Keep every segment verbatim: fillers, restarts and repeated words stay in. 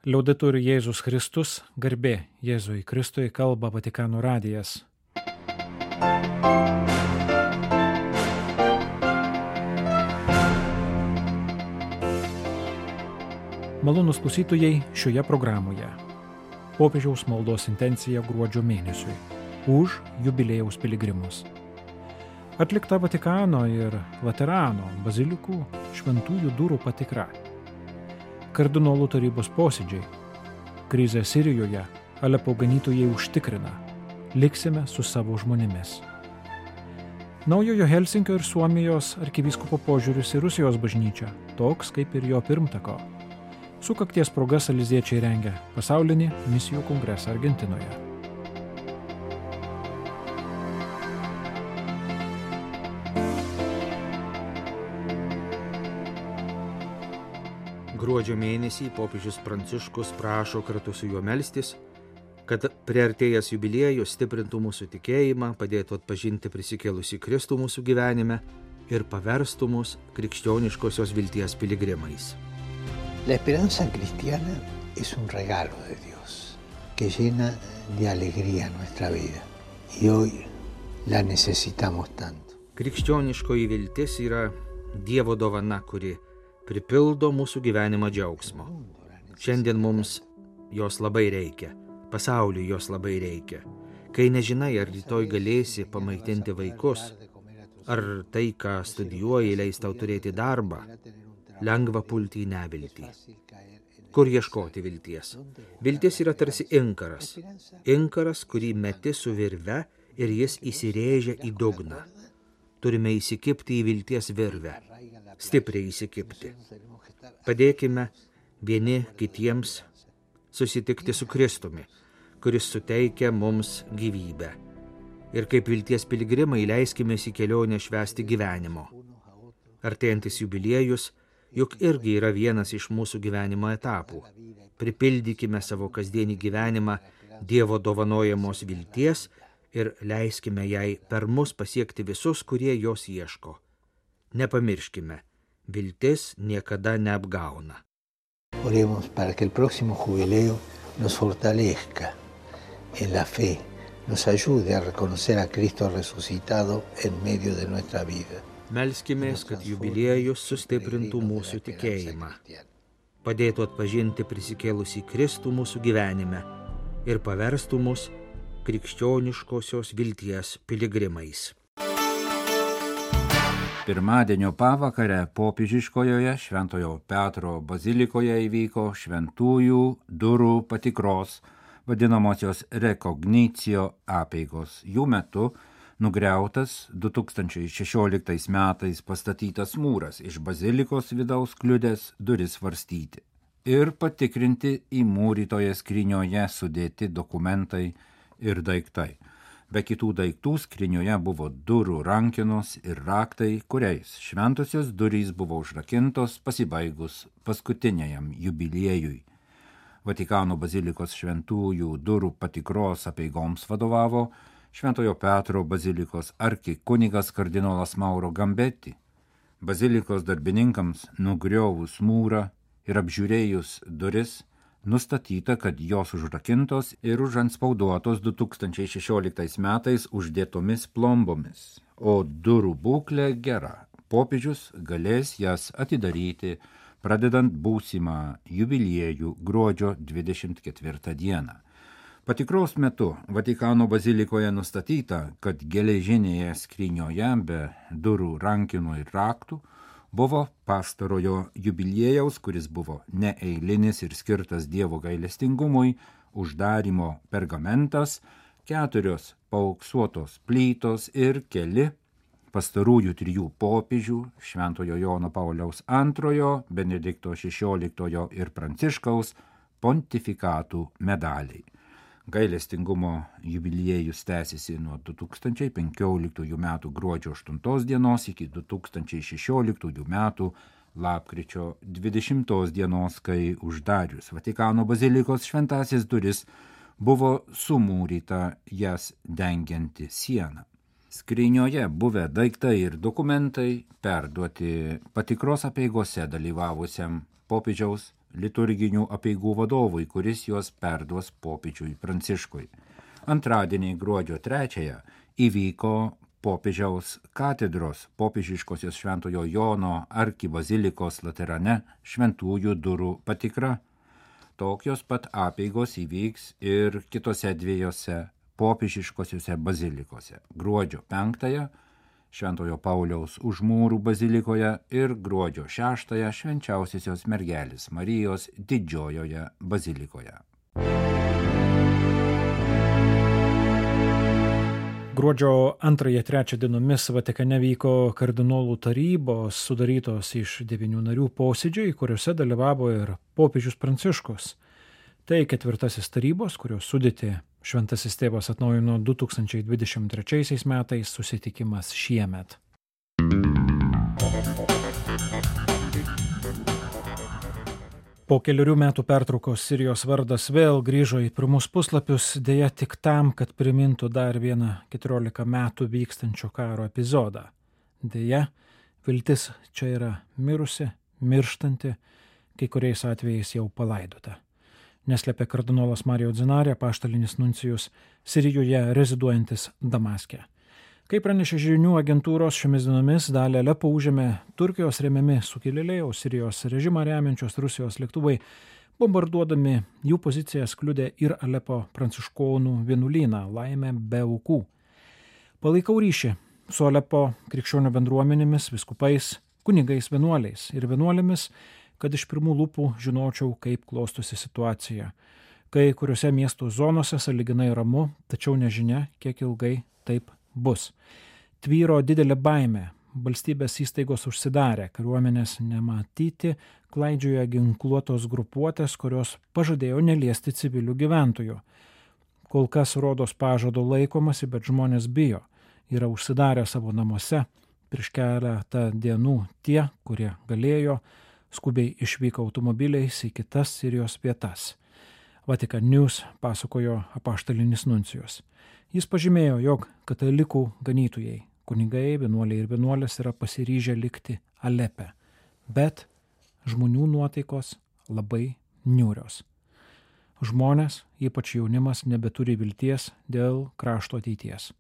Liaudetur Jėzus Kristus, garbė Jėzui Kristui, kalba Vatikano radijas. Malonūs klausytojai šioje programoje. Popiežiaus maldos intencija gruodžio mėnesiui už jubiliejaus piligrimus. Atlikta Vatikano ir Laterano bazilikų šventųjų durų patikra. Kardinolų tarybos posėdžiai. Krizė Sirijoje, Alepo ganytojai užtikrina. Liksime su savo žmonėmis. Naujojo Helsinkio ir Suomijos arkivyskupo požiūris į Rusijos bažnyčią, toks kaip ir jo pirmtako. Sukakties proga saliziečiai rengia pasaulinį misijų kongresą Argentinoje. Gruodžio mėnesį popiežius Pranciškus prašo kartu su juo melstis, kad priartėjęs jubiliejus stiprintų mūsų tikėjimą, padėtų atpažinti prisikėlusį Kristų mūsų gyvenime ir paverstų mus krikščioniškosios vilties piligrimais. La esperanza cristiana es un regalo de Dios que llena de alegría nuestra vida y hoy la necesitamos tanto. Krikščioniškoji viltis yra Dievo dovana, kuri pripildo mūsų gyvenimą džiaugsmo. Šiandien mums jos labai reikia, pasauliui jos labai reikia. Kai nežinai, ar rytoj galėsi pamaitinti vaikus, ar tai, ką studijuoji, leis tau turėti darbą, lengva pulti į neviltį. Kur ieškoti vilties? Viltis yra tarsi inkaras. Inkaras, kurį meti su virve ir jis įsirėžia į dugną. Turime įsikibti į vilties virvę. Stipriai įsikibti. Padėkime vieni kitiems susitikti su Kristumi, kuris suteikia mums gyvybę. Ir kaip vilties piligrimai leiskime į kelionę švęsti gyvenimo. Artėjantis jubiliejus juk irgi yra vienas iš mūsų gyvenimo etapų. Pripildykime savo kasdienį gyvenimą Dievo dovanojamos vilties ir leiskime jai per mus pasiekti visus, kurie jos ieško. Nepamirškime, viltis niekada neapgauna. Oremos para que el próximo jubileo nos fortalezca en la fe, nos ayude a reconocer a Cristo resucitado en medio de nuestra vida. Melskimės, kad jubiliejus sustiprintų mūsų tikėjimą, padėtų atpažinti prisikėlusį Kristų mūsų gyvenime ir paverstų mus krikščioniškosios vilties piligrimais. Pirmadienio pavakarę popiežiškojoje Šventojo Petro bazilikoje įvyko šventųjų durų patikros, vadinamosios rekognicijo apeigos. Jų metu nugriautas du tūkstančiai šešioliktais metais pastatytas mūras iš bazilikos vidaus kliudęs duris varstyti ir patikrinti įmūrytoje skrynioje sudėti dokumentai ir daiktai. Be kitų daiktų skrynioje buvo durų rankenos ir raktai, kuriais šventosios durys buvo užrakintos pasibaigus paskutiniajam jubiliejui. Vatikano bazilikos šventųjų durų patikros apeigoms vadovavo Šventojo Petro bazilikos arkikunigas kardinolas Mauro Gambetti. Bazilikos darbininkams nugriovus mūrą ir apžiūrėjus duris, nustatyta, kad jos užrakintos ir užantspauduotos du tūkstančiai šešioliktais metais uždėtomis plombomis, o durų būklė gera. Popiežius galės jas atidaryti, pradedant būsimą jubiliejų gruodžio dvidešimt ketvirtą dieną. Patikros metu Vatikano bazilikoje nustatyta, kad geležinėje skrynioje be durų rankenų ir raktų buvo pastarojo jubiliejaus, kuris buvo neeilinis ir skirtas Dievo gailestingumui, uždarymo pergamentas, keturios paauksuotos plytos ir keli pastarųjų trijų popiežių Šventojo Jono Pauliaus antrojo, Benedikto šešioliktojo ir Pranciškaus pontifikatų medaliai. Gailestingumo jubiliejus tęsiasi nuo du tūkstančiai penkioliktųjų metų gruodžio aštuntos dienos iki du tūkstančiai šešioliktųjų metų lapkričio dvidešimtos dienos, kai uždarius Vatikano bazilikos šventąsias duris buvo sumūryta jas dengianti siena. Skrynioje buvę daiktai ir dokumentai perduoti patikros apeigose dalyvavusiam popiežiaus liturginių apeigų vadovui, kuris juos perduos popiežiui Pranciškui. Antradienį gruodžio trečiąją įvyko popiežiaus katedros popiežiškosios Šventojo Jono arkibazilikos Laterane šventųjų durų patikra. Tokios pat apeigos įvyks ir kitose dviejose popiežiškosiose bazilikose. Gruodžio penktąją Šventojo Pauliaus Užmūrų bazilikoje ir gruodžio šeštąją Švenčiausiosios mergelės Marijos Didžiojoje bazilikoje. Gruodžio antrąją trečią dienomis Vatikane vyko kardinolų tarybos, sudarytos iš devynių narių posėdžiai, kuriuose dalyvavo ir popiežius Pranciškus. Tai ketvirtasis tarybos, kurios sudėtį Šventasis tėvas atnaujino du tūkstančiai dvidešimt trečiaisiais metais, susitikimas šiemet. Po keliarių metų pertraukos Sirijos vardas vėl grįžo į pirmus puslapius, dėja tik tam, kad primintų dar vieną keturiolika metų vykstančio karo epizodą. Dėja, viltis čia yra mirusi, mirštanti, kai kuriais atvejais jau palaidota. Neslėpė kardinolas Mario Zinarė, apaštalinis nuncijus Sirijoje reziduojantis Damaske. Kaip pranešė žinių agentūros, šiomis dienomis dalį Alepo užėmė Turkijos remiami sukilėliai, o Sirijos režimą remiančios Rusijos lėktuvai bombarduodami jų pozicijas kliudė ir Alepo pranciškonų vienuolyną, laimė be aukų. Palaikau ryšį su Alepo krikščionių bendruomenėmis, vyskupais, kunigais, vienuoliais ir vienuolėmis, kad iš pirmų lūpų žinočiau, kaip klostosi situacija. Kai kuriuose miesto zonose sąlyginai ramu, tačiau nežinia, kiek ilgai taip bus. Tvyro didelė baimė, valstybės įstaigos užsidarė, kariuomenės nematyti, klaidžioja ginkluotos grupuotės, kurios pažadėjo neliesti civilių gyventojų. Kol kas rodos pažado laikomasi, bet žmonės bijo, yra užsidarę savo namuose. Prieš keletą dienų tie, kurie galėjo, skubiai išvyko automobiliais į kitas Sirijos vietas. Vatikan News pasakojo apaštalinis nuncijus. Jis pažymėjo, jog katalikų ganytojai, kunigai, vienuoliai ir vienuolės yra pasiryžę likti Alepe, bet žmonių nuotaikos labai niūrios. Žmonės, ypač jaunimas, nebeturi vilties dėl krašto ateities.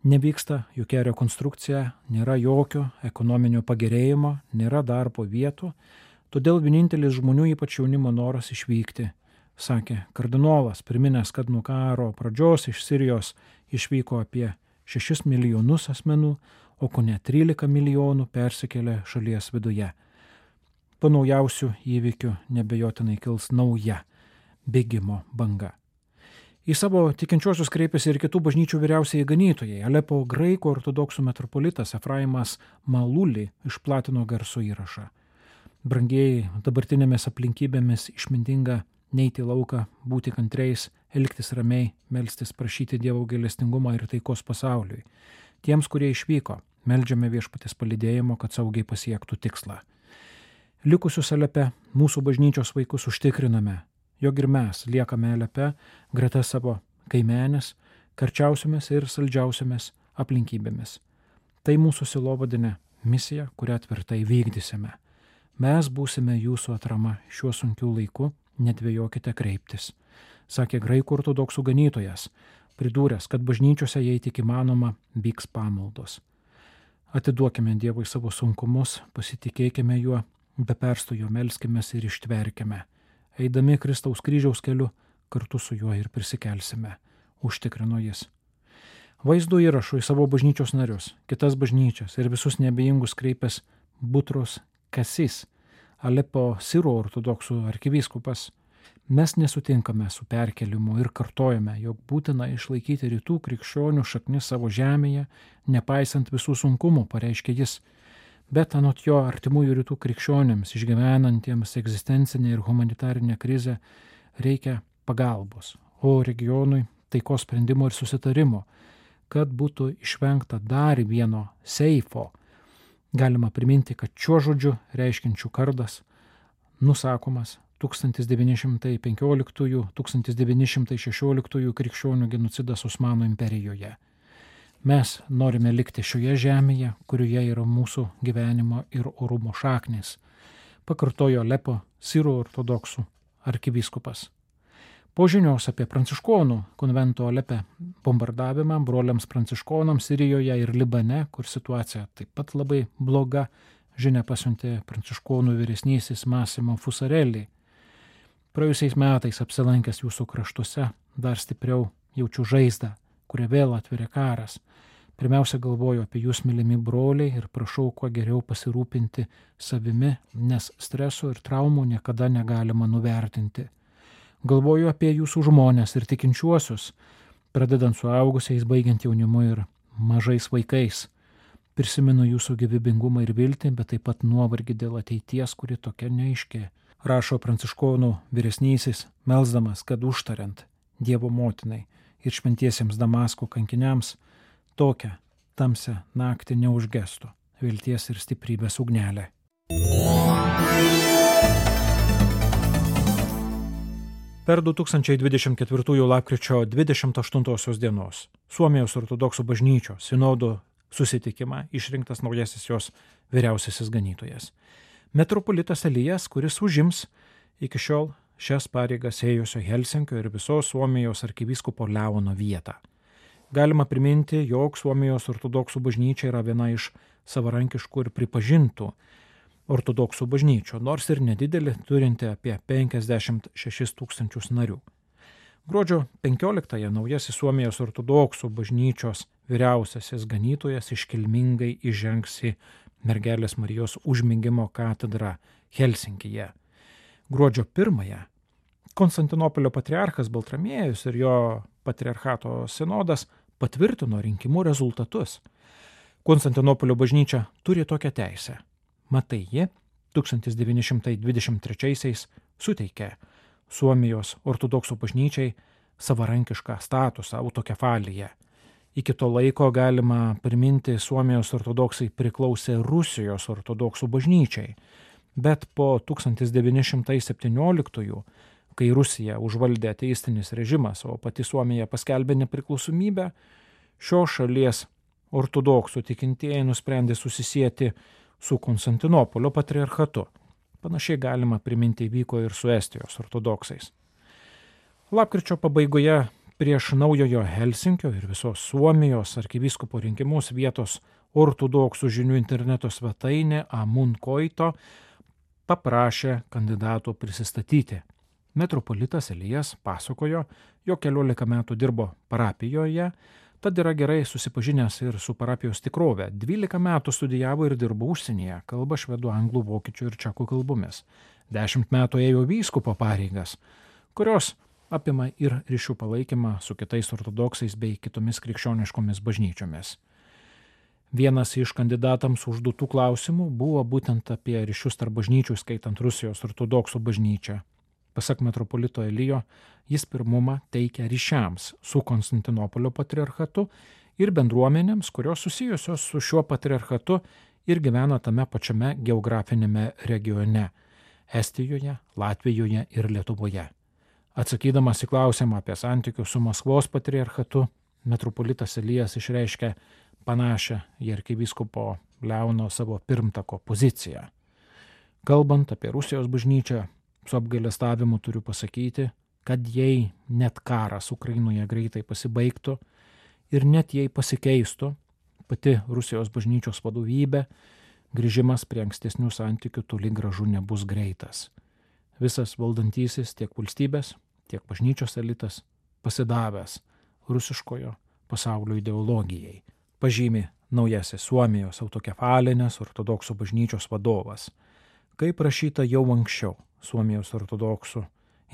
Nevyksta jokia rekonstrukcija, nėra jokio ekonominio pagerėjimo, nėra darbo vietų, todėl vienintelis žmonių, ypač jaunimo noras išvykti, sakė kardinolas, priminęs, kad nuo karo pradžios iš Sirijos išvyko apie šešis milijonus asmenų, o kone trylika milijonų persikėlė šalies viduje. Po naujausių įvykių nebejotinai kils nauja bėgimo banga. Į savo tikinčiuosius kreipėsi ir kitų bažnyčių vyriausieji ganytojai. Alepo graikų ortodoksų metropolitas Efraimas Maluli išplatino garso įrašą. Brangieji, dabartinėmis aplinkybėmis išmintinga neiti į lauką, būti kantriais, elgtis ramiai, melstis, prašyti Dievo gailestingumą ir taikos pasauliui. Tiems, kurie išvyko, meldžiame viešpaties palydėjimo, kad saugiai pasiektų tikslą. Likusius Alepe mūsų bažnyčios vaikus užtikriname, jog ir mes liekame Alepe greta savo kaimenės, karčiausiamis ir saldžiausiamis aplinkybėmis. Tai mūsų sielovadinė misija, kurią tvirtai vykdysime. Mes būsime jūsų atrama šiuo sunkiu laiku, nedvejokite kreiptis, sakė graikų ortodoksų ganytojas, pridūręs, kad bažnyčiose, jei tik įmanoma, vyks pamaldos. Atiduokime Dievui savo sunkumus, pasitikėkime juo, be perstojo melskimės ir ištverkime. Eidami Kristaus kryžiaus keliu, kartu su juo ir prisikelsime, užtikrino jis. Vaizdo įrašų į savo bažnyčios narius, kitas bažnyčias ir visus neabejingus kreipęs Butros Kasis, Alepo Sirų ortodoksų arkivyskupas. Mes nesutinkame su perkelimu ir kartojame, jog būtina išlaikyti rytų krikščionių šaknis savo žemėje, nepaisant visų sunkumų, pareiškė jis. Bet anot jo artimųjų rytų krikščionėms, išgyvenantiems egzistencinę ir humanitarinę krizę, reikia pagalbos, o regionui taikos sprendimo ir susitarimo, kad būtų išvengta dar vieno seifo. Galima priminti, kad šiuo žodžiu reiškiančių kardas nusakomas tūkstantis devyni šimtai penkioliktųjų - tūkstantis devyni šimtai šešioliktųjų krikščionių genocidas Osmanų imperijoje. Mes norime likti šioje žemėje, kurioje yra mūsų gyvenimo ir orumo šaknis, pakartojo Alepo sirų ortodoksų arkivyskupas. Po žinios apie pranciškonų konvento Alepe bombardavimą broliams pranciškonams Sirijoje ir Libane, kur situacija taip pat labai bloga, žinia pasiuntė pranciškonų vyresnysis Massimo Fusarelli. Praėjusiais metais apsilankęs jūsų kraštuose dar stipriau jaučiu žaizdą, kurią vėl atveria karas. Pirmiausia, galvoju apie jūs, mylimi broliai, ir prašau kuo geriau pasirūpinti savimi, nes streso ir traumų niekada negalima nuvertinti. Galvoju apie jūsų žmones ir tikinčiuosius, pradedant suaugusiais, baigiant jaunimu ir mažais vaikais. Prisimenu jūsų gyvybingumą ir viltį, bet taip pat nuovargį dėl ateities, kuri tokia neaiški. Rašo pranciškonų vyresnysis, melsdamas, kad užtariant Dievo motinai ir šventiesiems Damasko kankiniams tokią tamsią naktį neužgestų vilties ir stiprybės ugnelė. Per du tūkstančiai dvidešimt ketvirtųjų lapkričio dvidešimt aštuntosios dienos Suomijos ortodoksų bažnyčios sinodo susitikimą išrinktas naujasis jos vyriausiasis ganytojas. Metropolitas Elijas, kuris užims iki šiol šias pareigas ėjusio Helsinkio ir visos Suomijos arkivyskupo Leono vietą. Galima priminti, jog Suomijos ortodoksų bažnyčia yra viena iš savarankiškų ir pripažintų ortodoksų bažnyčių, nors ir nedidelė, turinti apie penkiasdešimt šešis tūkstančius narių. Gruodžio penkioliktąją naujasis Suomijos ortodoksų bažnyčios vyriausiasis ganytojas iškilmingai įžengs į Mergelės Marijos užmigimo katedrą Helsinkyje. Gruodžio pirmąją Konstantinopolio patriarchas Baltramiejus ir jo patriarchato sinodas patvirtino rinkimų rezultatus. Konstantinopolio bažnyčia turi tokią teisę. Matai, ji tūkstantis devyni šimtai dvidešimt trečiaisiais suteikė Suomijos ortodoksų bažnyčiai savarankišką statusą, autokefaliją. Iki to laiko, galima priminti, Suomijos ortodoksai priklausė Rusijos ortodoksų bažnyčiai, bet po tūkstantis devyni šimtai septynioliktųjų, kai Rusija užvaldė ateistinis režimas, o pati Suomija paskelbė nepriklausomybę, šios šalies ortodoksų tikintieji nusprendė susisieti su Konstantinopolio patriarchatu. Panašiai galima priminti įvyko ir su Estijos ortodoksais. Lapkričio pabaigoje prieš naujojo Helsinkio ir visos Suomijos arkivyskupo rinkimus vietos ortodoksų žinių interneto svetainė Amun Koito paprašė kandidatų prisistatyti. Metropolitas Elijas pasakojo, jog keliolika metų dirbo parapijoje, tad yra gerai susipažinęs ir su parapijos tikrove. dvylika metų studijavo ir dirbo užsienyje, kalba švedų, anglų, vokiečių ir čekų kalbomis. Dešimt metų ėjo vyskupo pareigas, kurios apima ir ryšių palaikymą su kitais ortodoksais bei kitomis krikščioniškomis bažnyčiomis. Vienas iš kandidatams užduotų klausimų buvo būtent apie ryšius tarp bažnyčių, skaitant Rusijos ortodoksų bažnyčią. Pasak metropolito Elijo, jis pirmumą teikia ryšiams su Konstantinopolio patriarchatu ir bendruomenėms, kurios susijusios su šiuo patriarchatu ir gyvena tame pačiame geografinėme regione – Estijoje, Latvijoje ir Lietuvoje. Atsakydamas į klausimą apie santykius su Maskvos patriarchatu, metropolitas Elijas išreiškė panašią į arkivyskupo Leono savo pirmtako poziciją. Kalbant apie Rusijos bažnyčią, su apgailestavimu turiu pasakyti, kad jei net karas Ukrainoje greitai pasibaigtų ir net jei pasikeistų pati Rusijos bažnyčios vadovybė, grįžimas prie ankstesnių santykių toli gražu nebus greitas. Visas valdantysis tiek valstybės, tiek bažnyčios elitas pasidavęs rusiškojo pasaulio ideologijai, pažymi naujasis Suomijos autokefalinės ortodoksų bažnyčios vadovas. Kaip rašyta jau anksčiau Suomijos ortodoksų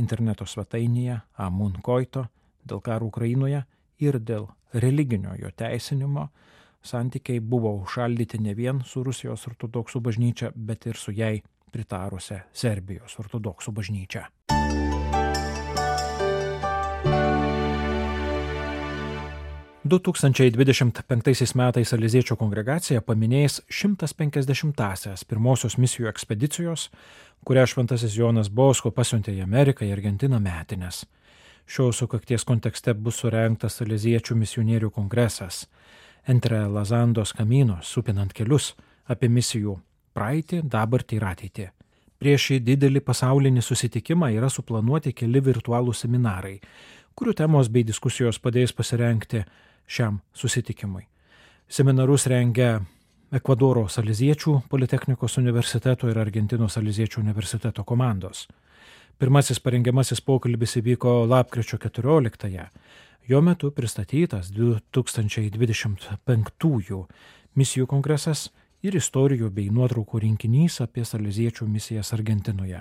interneto svetainėje Amun Koito, dėl karo Ukrainoje ir dėl religinio jo teisinimo santykiai buvo užšaldyti ne vien su Rusijos ortodoksų bažnyčia, bet ir su jai pritarusią Serbijos ortodoksų bažnyčią. du tūkstančiai dvidešimt penktaisiais metais Aliziečio kongregacija paminės šimtas penkiasdešimtąsias pirmosios misijų ekspedicijos, kurią šventasis Jonas Bosko pasiuntė į Ameriką ir Argentiną metines. Šios sukakties kontekste bus surengtas Aliziečių misionierių kongresas Entre Lazandos Caminos, supinant kelius apie misijų praeitį, dabartį ir ateitį. Prieš šį didelį pasaulinį susitikimą yra suplanuoti keli virtualūs seminarai, kurių temos bei diskusijos padės pasirengti šiam susitikimui. Seminarus rengia Ekvadoro Saleziečių Politechnikos universiteto ir Argentinos Saleziečių universiteto komandos. Pirmasis parengiamasis pokalbis įvyko lapkričio keturioliktąją. Jo metu pristatytas du tūkstančiai dvidešimt penktųjų misijų kongresas ir istorijų bei nuotraukų rinkinys apie saleziečių misijas Argentinoje.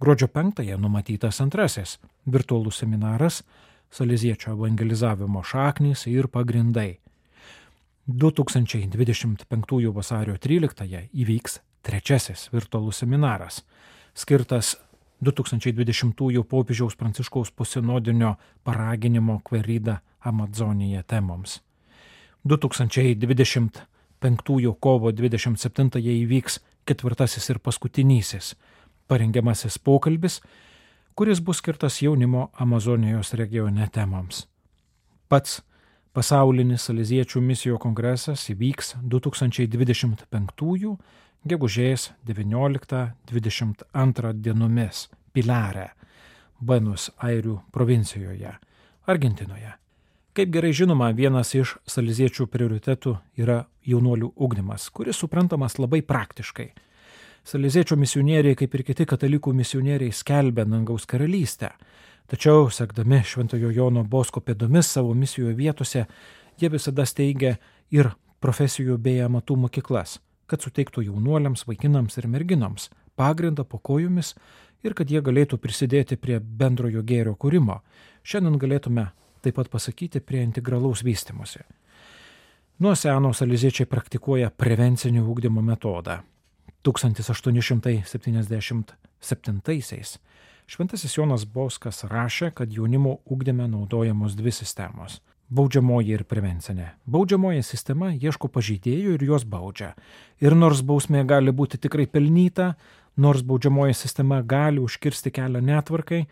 Gruodžio penktąją numatytas antrasis virtualus seminaras Saleziečio evangelizavimo šaknys ir pagrindai. du tūkstančiai dvidešimt penktųjų vasario tryliktąją įvyks trečiasis virtualus seminaras, skirtas du tūkstančiai dvidešimtųjų popiežiaus Pranciškaus posinodinio paraginimo Querida Amazonija temoms. du tūkstančiai dvidešimt penktųjų kovo dvidešimt septintąją įvyks ketvirtasis ir paskutinysis parengiamasis pokalbis, kuris bus skirtas jaunimo Amazonijos regione temoms. Pats pasaulinis Saleziečių misijų kongresas įvyks du tūkstančiai dvidešimt penktųjų gegužės devynioliktą dvidešimt antrą dienomis Pilare, Buenos Airių provincijoje, Argentinoje. Kaip gerai žinoma, vienas iš saleziečių prioritetų yra jaunuolių ugdymas, kuris suprantamas labai praktiškai. Saleziečių misionieriai, kaip ir kiti katalikų misionieriai, skelbia dangaus karalystę. Tačiau, sekdami Šventojo Jono Bosko pėdomis savo misijų vietose, jie visada steigia ir profesijų bei amatų mokyklas, kad suteiktų jaunuoliams, vaikinams ir merginoms pagrindą po kojomis ir kad jie galėtų prisidėti prie bendrojo gėrio kūrimo. Šiandien galėtume taip pat pasakyti prie integralaus vystymosi. Nuo seno saleziečiai praktikuoja prevencinio ugdymo metodą. tūkstantis aštuoni šimtai septyniasdešimt septintaisiais Šventasis Jonas Boskas rašė, kad jaunimo ugdyme naudojamos dvi sistemos – baudžiamoji ir prevencinė. Baudžiamoji sistema ieško pažeidėjų ir juos baudžia. Ir nors bausmė gali būti tikrai pelnyta, nors baudžiamoji sistema gali užkirsti kelią netvarkai,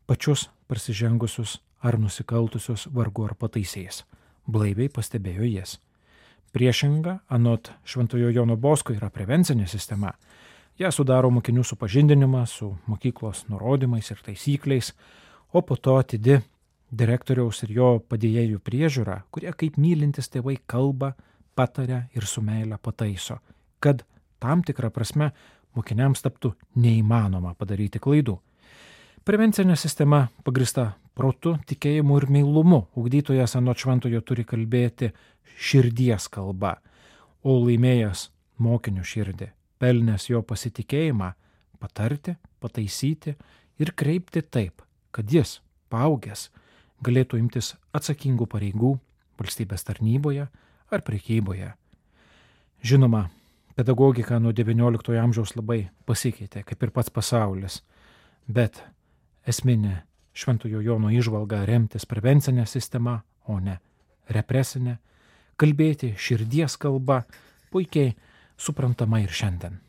pačius prasižengusius ar nusikaltusius vargu ar pataisės. Blaiviai pastebėjo jis. Priešinga, anot Šventojo Jono Bosko, yra prevencinė sistema. Ja sudaro mokinių supažindinimą su mokyklos nurodymais ir taisykliais, o po to atidi direktoriaus ir jo padėjėjų priežiūra, kurie kaip mylintis tėvai kalba, pataria ir su meile pataiso, kad tam tikrą prasme mokiniams taptų neįmanoma padaryti klaidų. Prevencinė sistema pagrįsta protu, tikėjimu ir meilumu. Ugdytojas anot šventojo turi kalbėti širdies kalba, o laimėjęs mokinio širdį, pelnęs jo pasitikėjimą, patarti, pataisyti ir kreipti taip, kad jis, paaugęs, galėtų imtis atsakingų pareigų valstybės tarnyboje ar prekyboje. Žinoma, pedagogika nuo devynioliktojo amžiaus labai pasikeitė, kaip ir pats pasaulis, bet esminė Šventojo Jono įžvalga remtis prevencinė sistema, o ne represinė, kalbėti širdies kalba puikiai suprantama ir šiandien.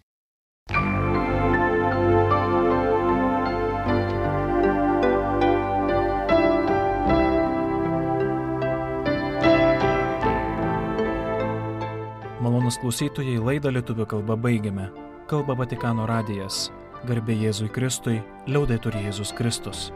Malonūs klausytojai, laidą lietuvių kalba baigiame. Kalba Vatikano radijas. Garbė Jėzui Kristui, liaudetur Jėzus Kristus.